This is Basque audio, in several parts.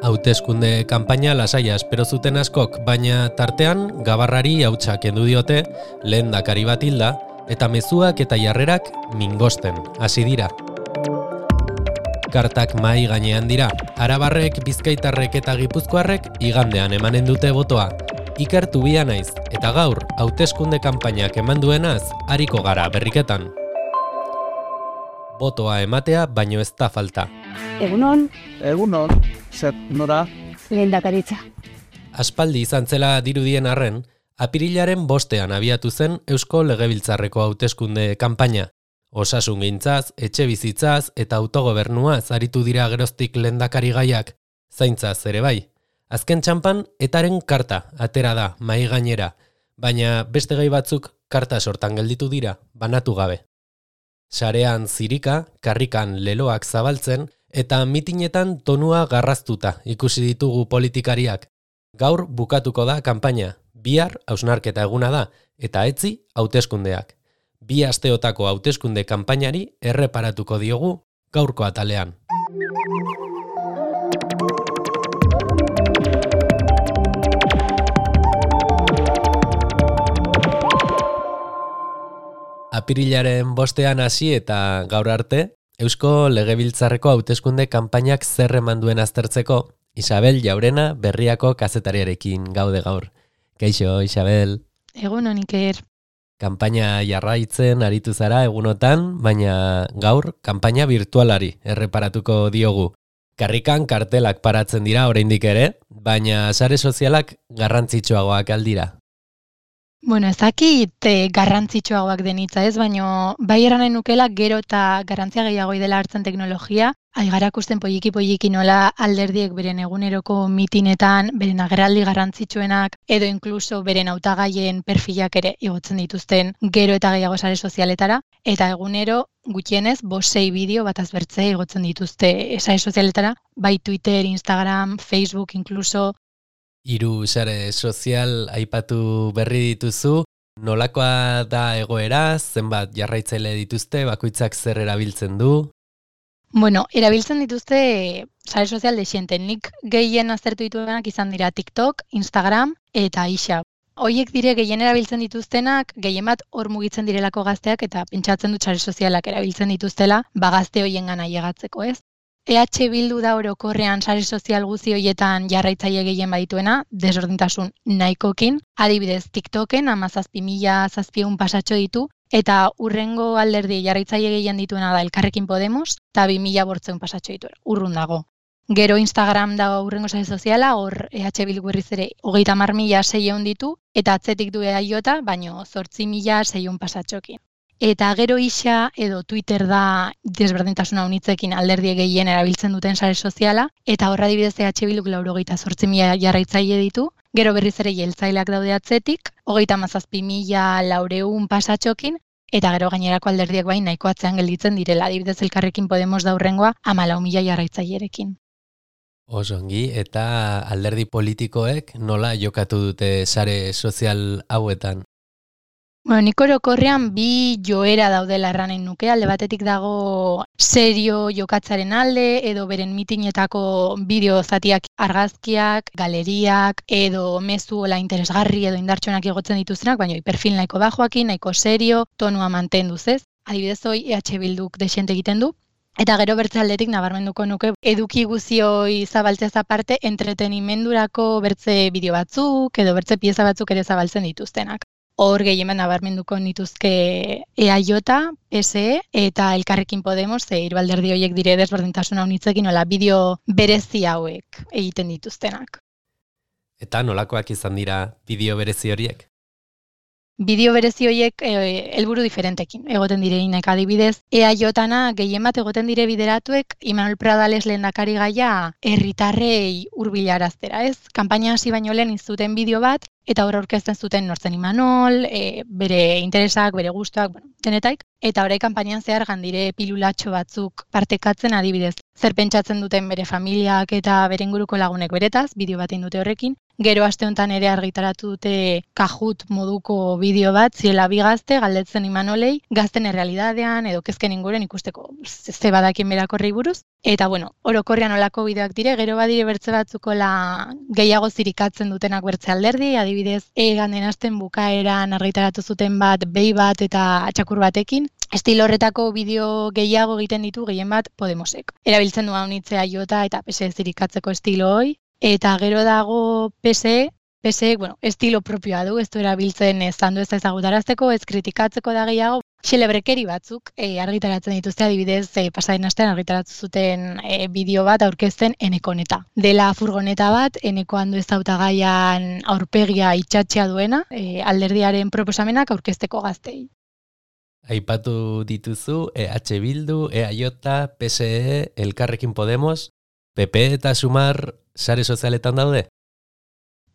Hauteskunde kanpaina lasaia espero zuten askok, baina tartean gabarrari hautsa kendu diote, lehendakari bat hilda, eta mezuak eta jarrerak mingosten hasi dira. Kartak mahai gainean dira, arabarrek, bizkaitarrek eta gipuzkoarrek igandean emanen dute botoa. Ikertu bia naiz, eta gaur hauteskunde kanpainak eman duenaz, ariko gara berriketan. Botoa ematea baino ez da falta. Egunon. Egunon, zer nora? Lehendakaritza. Aspaldi izan zela dirudien arren, apirilaren 5ean abiatu zen Eusko Legebiltzarreko hauteskunde kanpaina. Osasungintzaz, etxebizitzaz eta autogobernuaz aritu dira geroztik lehendakari gaiak, zaintzaz ere bai. Azken txanpan, etaren karta atera da mahai gainera, baina beste gai batzuk karta sortan gelditu dira, banatu gabe. Sarean zirika, karrikan leloak zabaltzen, eta mitinetan tonua garraztuta ikusi ditugu politikariak. Gaur bukatuko da kanpaina, bihar hausnarketa eguna da, eta etzi hauteskundeak. 2 asteotako hauteskunde kanpainari erreparatuko diogu gaurko atalean. Apirilaren 5ean hasi eta gaur arte, Eusko Legebiltzarreko hauteskunde kanpainak zer eman duen aztertzeko, Isabel Jaurena Berriako kazetariarekin gaude gaur. Kaixo, Isabel. Egunon, Iker. Kanpaina jarraitzen aritu zara egunotan, baina gaur kanpaina virtualari erreparatuko diogu. Karrikan kartelak paratzen dira oraindik ere, baina sare sozialak garrantzitsuagoak aldira. Bueno, ez dakit garrantzitsuagoak denitza ez, baina bai eranen nukela gero eta garrantzia gehiago dela hartzen teknologia, aigarakusten poliki nola alderdiek beren eguneroko mitinetan, beren agerraldi garrantzitsuenak, edo inkluso beren hautagaien perfilak ere igotzen dituzten gero eta gehiago sare sozialetara, eta egunero gutxienez 5-6 bideo bataz bertze igotzen dituzte sare sozialetara, bai Twitter, Instagram, Facebook inkluso. 3 sare sozial aipatu berri dituzu, nolakoa da egoera, zenbat jarraitzaile dituzte, bakoitzak zer erabiltzen du? Bueno, erabiltzen dituzte sare sozial desiente. Nik gehien aztertu dituenak izan dira TikTok, Instagram eta Ixa. Hoiek dire gehien erabiltzen dituztenak, gehien bat hor mugitzen direlako gazteak eta pentsatzen dut sare sozialak erabiltzen dituztela, gazte hoiengana ailegatzeko, ez? EH Bildu da orokorrean sare sozial guzti horietan jarraitzaile gehien badituena, desberdintasun nahikokin, adibidez TikToken 17.700 pasatxo ditu, eta urrengo alderdi jarraitzaile gehien dituena da Elkarrekin Podemos, eta 2.500 pasatxo ditu, urrun dago. Gero Instagram da urrengo sare soziala, hor EH Bildu berriz ere 30.600 ditu, eta atzetik du EAJ, baino 8.600 pasatxokin. Eta gero Ixa edo Twitter da desberdintasuna unitzekin alderdi gehien erabiltzen duten sare soziala, eta horra adibidez EH Bilduk 98.000 jarraitzaile ditu, gero berriz ere jeltzaileak daude atzetik, 37.400 pasatxokin, eta gero gainerako alderdiak bain nahiko atzean gelditzen direla, adibidez Elkarrekin Podemos da hurrengoa 14.000 jarraitzailerekin. Osongi, eta alderdi politikoek nola jokatu dute sare sozial hauetan? Bueno, nik orokorrean 2 joera daudela erranen nuke, alde batetik dago serio jokatzaren alde, edo beren mitinetako bideo zatiak argazkiak, galeriak, edo mezu ola interesgarri edo indartsuenak igotzen dituztenak, baina perfil nahiko bajoakin, nahiko serio, tonua mantenduz ez. Adibidez hoi EH Bilduk desiente egiten du. Eta gero bertze aldetik nabarmenduko nuke eduki guzioi zabaltzeaz aparte entretenimendurako bertze bideo batzuk, edo bertze pieza batzuk ere zabaltzen dituztenak. Hor gehien nabarmenduko nituzke EAJ, PSE eta Elkarrekin Podemos, hiru alderdi horiek dire desberdintasuna unitzekin nola bideo berezi hauek egiten dituztenak. Eta nolakoak izan dira bideo berezi horiek? Bideo berezi horiek helburu diferentekin egoten direinek, adibidez, EAJ-na gehien bat egoten dire bideratuek Imanol Pradales lehendakari gaia herritarrei hurbilaraztera, ez? Kanpaina hasi baino lehen izuten bideo bat, eta hor aurkezten zuten nortzen Imanol, bere interesak, bere gustuak, denetaik, eta orain kanpainan zehar gandire pilulatxo batzuk partekatzen adibidez. Zer pentsatzen duten bere familiak eta bere inguruko lagunek beretaz, bideo bat dute horrekin, Gero aste honetan ere argitaratu dute Kahoot moduko bideo bat, ziela bi gazte galdetzen Imanolei, gazten errealidadean edo kezken inguren ikusteko ze badakien berakorrei buruz. Eta orokorrean olako bideoak dire, gero badire bertze batzukola gehiago zirikatzen dutenak bertze alderdi, adibidez, den asten bukaeran argitaratu zuten bat, behi bat eta txakur batekin, estilo horretako bideo gehiago egiten ditu gehien bat Podemosek. Erabiltzen du haunitzea jota eta PSE zirikatzeko estilo hoi, eta gero dago PSE, estilo propioa du, ez du erabiltzen zandu ez ezagutarazteko, ez kritikatzeko da gehiago, xelebrekeri batzuk argitaratzen dituzte, adibidez, pasaren astean argitaratu zuten bideo bat aurkezten Enekoneta. Dela furgoneta bat, Eneko Andu ez hautagaian aurpegia itxatxea duena, alderdiaren proposamenak aurkezteko gaztei. Aipatu dituzu EH Bildu, EAJ, PSE, Elkarrekin Podemos, PP eta Sumar sare sozialetan daude?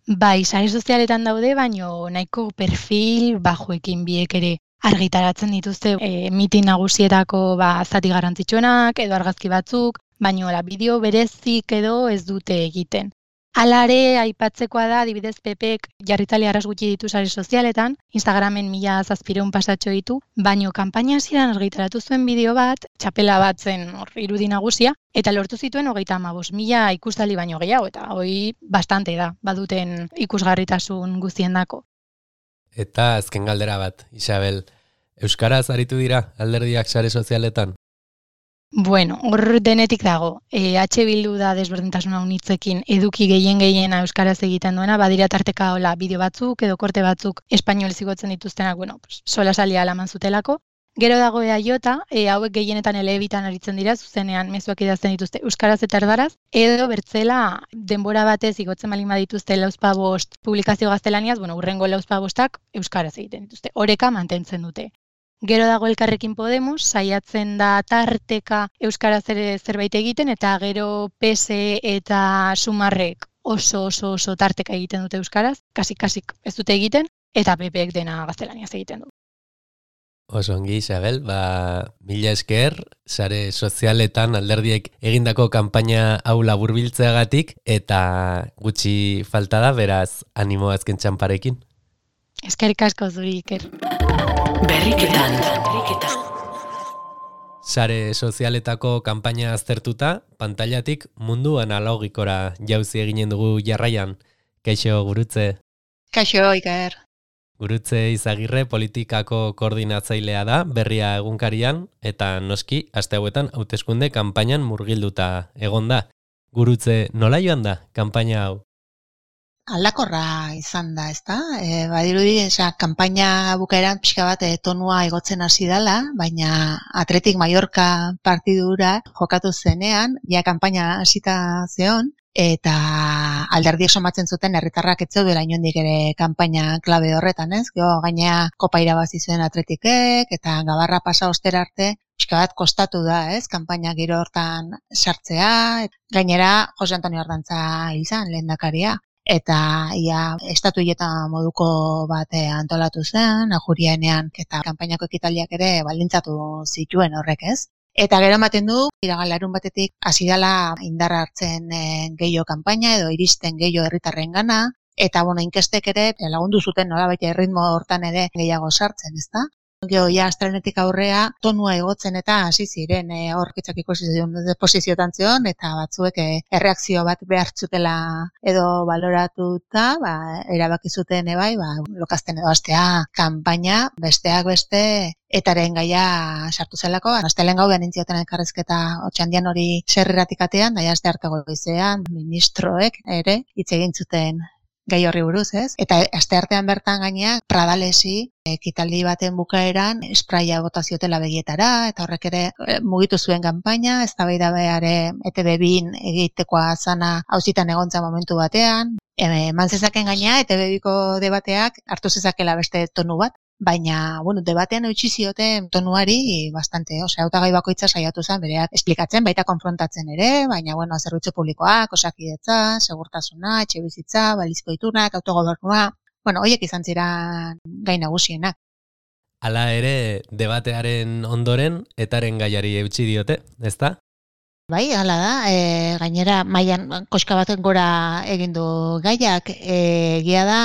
Bai, sare sozialetan daude, baino nahiko perfil bajoekin biek ere argitaratzen dituzte mitin nagusietako zati garrantzitsuenak edo argazki batzuk, baino bideo berezik edo ez dute egiten. Alare, aipatzekoa da, adibidez PPek jarritzaile arras gutxi ditu sare sozialetan, Instagramen 1700 pasatxo ditu, baino kanpaina hasieran argitaratu zuen bideo bat, txapela bat zen irudi nagusia, eta lortu zituen 35.000 ikustaldi baino gehiago, eta hoi bastante da, baduten ikusgarritasun guztiendako. Eta azken galdera bat, Isabel, euskaraz aritu dira alderdiak sare sozialetan? Hor denetik dago. EH Bildu da desberdintasuna unitzekin eduki gehiena euskaraz egiten duena, badira tarteka bideo batzuk edo korte batzuk espainolez igotzen dituztenak, sola salia alaman zutelako. Gero dago EAJ, hauek gehienetan elebitan aritzen dira, zuzenean mezuak idazten dituzte euskaraz eta erdaraz, edo bertzela denbora batez igotzen balin badituzte 45 publikazio gaztelaniaz, urrengo 45 euskaraz egiten dituzte. Oreka mantentzen dute. Gero dago Elkarrekin Podemos, saiatzen da tarteka euskaraz ere zerbait egiten, eta gero PSE eta Sumarrek oso tarteka egiten dute euskaraz, kasik ez dute egiten, eta PPek dena gaztelaniaz egiten du. Oso ongi, Isabel, mila esker, sare sozialetan alderdiek egindako kanpaina hau laburbiltzeagatik, eta gutxi falta da, beraz, animo azken txamparekin. Eskerrik asko zuri, Iker. Berriketan. Sare sozialetako kanpaina aztertuta, pantailatik mundu analogikora jauzi eginen dugu jarraian. Kaixo, Gurutze. Kaixo, Iker. Gurutze Izagirre politikako koordinatzailea da, Berria egunkarian, eta noski, aste hauetan hauteskunde kanpainan murgilduta egon da. Gurutze, nola joan da kanpaina hau? Aldakorra izan da, ezta? Badirudi, kanpaina bukaeran pixka bat tonua igotzen hasi dela, baina Athletic Mallorca partidura jokatu zenean, ja kanpaina hasita zeon, eta alderdiek somatzen zuten herritarrak ez zeudela inondik ere kanpaina klabe horretan, ez? Gero gainea kopa irabazi zuen Athleticek, eta gabarra pasa ostera arte, pixka bat kostatu da, ez? Kanpaina giro hortan sartzea, gainera Jose Antonio Ardantza izan lehendakaria. Eta estatu hileta moduko bat antolatu zen, ajurienean, eta kanpainako ekitaldiak ere baldintzatu zituen horrek, ez? Eta gero ematen du, iragan batetik hasi dela indarra hartzen gehiago kanpaina edo iristen gehiago herritarren gana, eta inkestek ere lagundu zuten nolabait erritmo hortan ere gehiago sartzen, ezta? Gero, astelehenetik aurrea tonua igotzen eta hasi ziren aurkitzak ikusi zion posiziotan zion, eta batzuek erreakzio bat behar zutela edo baloratuta, erabaki zuten lokazten edo astea kanpaina, besteak beste, etaren gaia sartu zelako, astelehen gau benintzioten elkarrizketa otxandian hori zerriratik atean, aste hartago goizean, ministroek ere hitz egin zuten gai horri buruz, ez? Eta asteartean bertan gainea Pradalesi ekitaldi baten bukaeran spraia bota ziotela begietara, eta horrek ere mugitu zuen kanpaina, eztabaida ere ETB2 egitekoa zana auzitan egontza momentu batean, eman zezaken gainea ETB2ko debateak hartu zezakela beste tonu bat, baina, debatean eutxi zioten tonuari bastante, hautagai bakoitza saiatu zen bereak esplikatzen, baita konfrontatzen ere, baina, zerbitzu publikoak, osakidetza, segurtasuna, etxebizitza, balizko itunak, autogobernua, horiek izan ziren gai nagusienak. Hala ere, debatearen ondoren, etaren gaiari eutxi diote, ezta? Bai, hala da, gainera mailan koska baten gora egin du gaiak, egia da,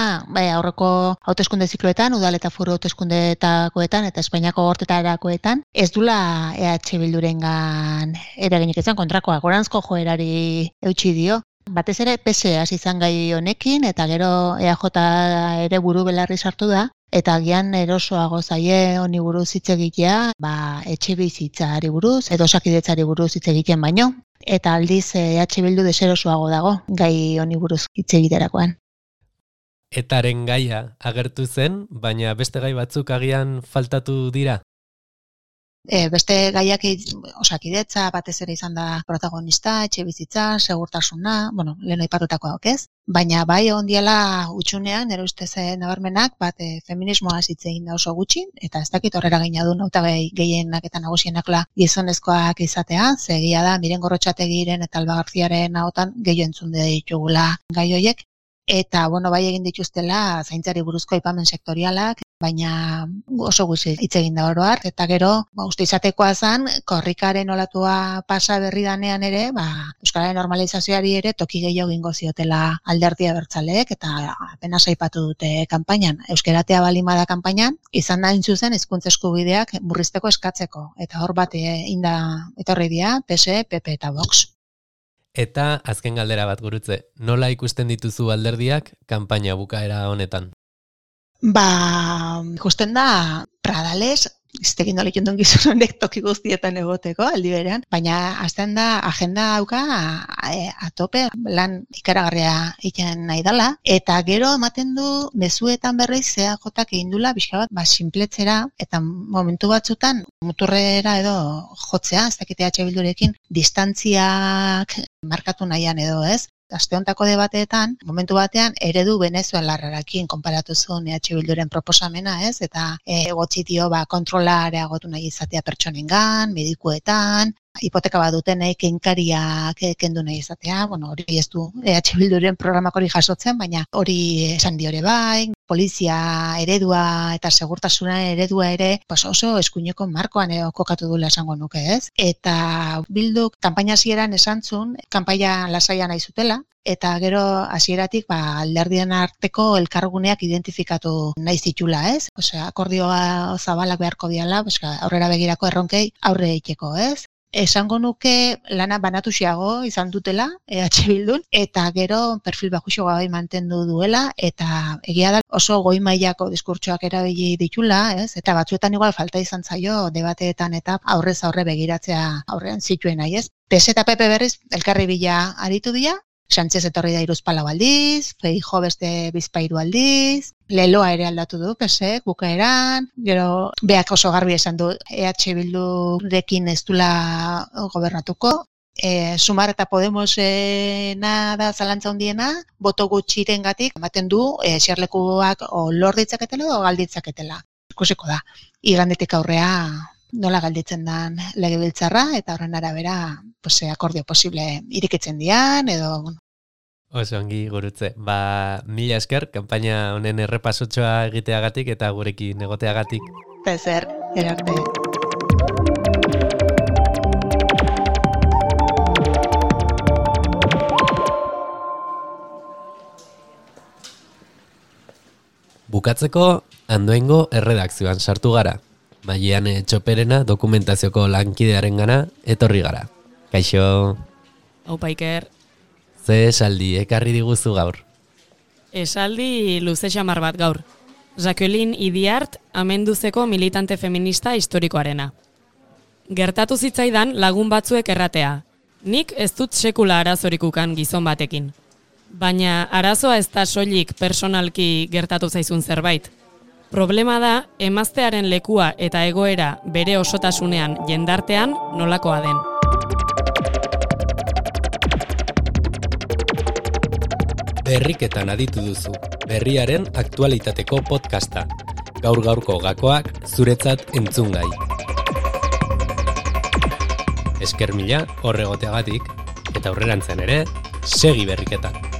aurreko hauteskunde zikloetan, udal eta foru hauteskundetakoetan eta Espainiako gortetarakoetan, ez dula EH Bildurengan eraginik izan kontrakoa, goranzko joerari eutsi dio. Batez ere PSE hasi izan gai honekin eta gero EAJ ere buru belarri sartu da. Eta agian erosoago zaie honi buruz hitz egitea, etxebizitzari buruz edo osakidetzari buruz hitz egiten baino. Eta aldiz EH Bildu deserosoago dago gai honi buruz hitz egiterakoan. Etaren gaia agertu zen, baina beste gai batzuk agian faltatu dira. Beste gaiak osakidetza batez ere izan da protagonista, etxebizitza, segurtasuna, lehen aipatutakoak ez? Baina bai ondiela utxunean, nire ustez nabarmenak, feminismoa hitz egin da oso gutxi, eta ez dakit horrera gaina du hautagai gehienak eta nagusienakla gizonezkoak izatea, zegia da Miren Gorrotxategiren eta Alba Garziaren ahotan gehiago entzun ditugula gai horiek. Eta, bai egin dituztela zaintzari buruzko aipamen sektorialak, baina oso gutxi hitz egin da oro har, eta gero, uste izatekoa zen, korrikaren olatua pasa berri danean ere, euskararen normalizazioari ere toki gehiago egingo ziotela Alderdi Abertzaleek, eta apenas aipatu dute kanpainan. Euskaratea balimada kanpainan, izan da zuzen hizkuntza eskubideak murrizteko eskatzeko, eta hor bat inda etorri dira, PSE, PP eta Vox. Eta azken galdera bat gurutze, nola ikusten dituzu alderdiak kanpaina bukaera honetan? Ikusten da Pradales, ez tegin dola ikundun gizon honek toki guztietan egoteko aldi berean, baina azten da agenda dauka atope lan ikaragarria egiten nahi dela, eta gero ematen du mezuetan berriz EAJak egin dula pixka bat sinpletzera, eta momentu batzutan muturrera edo jotzea, ez dakit EH Bildurekin distantziak markatu nahian edo ez. Aste hontako debateetan, momentu batean, eredu venezuelarrarekin konparatu zuen EH Bilduren proposamena, ez? Eta egotxitio kontrola areagotu nahi izatea pertsonengan, medikuetan, hipoteka bat dutenek kenkariak kendu nahi izatea, hori ez du EH Bilduren programak hori jasotzen, baina hori esan diore bai, polizia eredua eta segurtasuna eredua ere oso eskuineko markoan kokatu dula esango nuke, ez? Eta Bilduk kanpaina hasieran esan zuen, kanpaia lasaia nahi zutela, eta gero hasieratik alderdien arteko elkarguneak identifikatu nahi zitula, ez? Akordioa zabalak beharko diala, aurrera begirako erronkei aurre egiteko, ez? Esango nuke lana banatuxiago izan dutela EH Bildun, eta gero perfil bajuxoa bai mantendu duela, eta egia da oso goi mailako diskurtsoak erabili ditula, ez? Eta batzuetan igual falta izan zaio debateetan eta aurrez aurre begiratzea aurrean zituen nahi, ez? PS eta PP berriz elkarri bila aritu dira, Sánchez etorri da 3 aldiz, Feijóo beste 2 aldiz, Leloa ere aldatu du, PSek, bukaeran, gero beak oso garbi esan du EH Bildurekin ez dula gobernatuko, Sumar eta Podemosena da zalantza handiena, boto gutxirengatik ematen du eserlekuak lor ditzaketela edo galditzaketela. Ikusiko da, igandetik aurrea nola galditzen dan legebiltzarra, eta horren arabera akordio posible irikitzen dian, edo... Oso ongi gurutze. Mila esker, kanpaina honen errepasotxoa egiteagatik eta gurekin egoteagatik. Pezer, erarte. Bukatzeko, Andoaingo erredakzioan sartu gara. Maiane Txoperena dokumentazioko lankidearen gana etorri gara. Kaixo. Aupa Iker. Ze esaldi ekarri diguzu gaur? Esaldi luze xamar bat gaur. Jacqueline Idiart amenduzeko militante feminista historikoarena. Gertatu zitzaidan lagun batzuek erratea. Nik ez dut sekula arazorikukan gizon batekin. Baina arazoa ez da soilik personalki gertatu zaizun zerbait. Problema da, emaztearen lekua eta egoera bere osotasunean jendartean nolakoa den. Berriketan aditu duzu, berriaren aktualitateko podcasta. Gaur-gaurko gakoak zuretzat entzungai. Esker mila horregoteagatik, eta aurrerantzean ere, segi berriketan.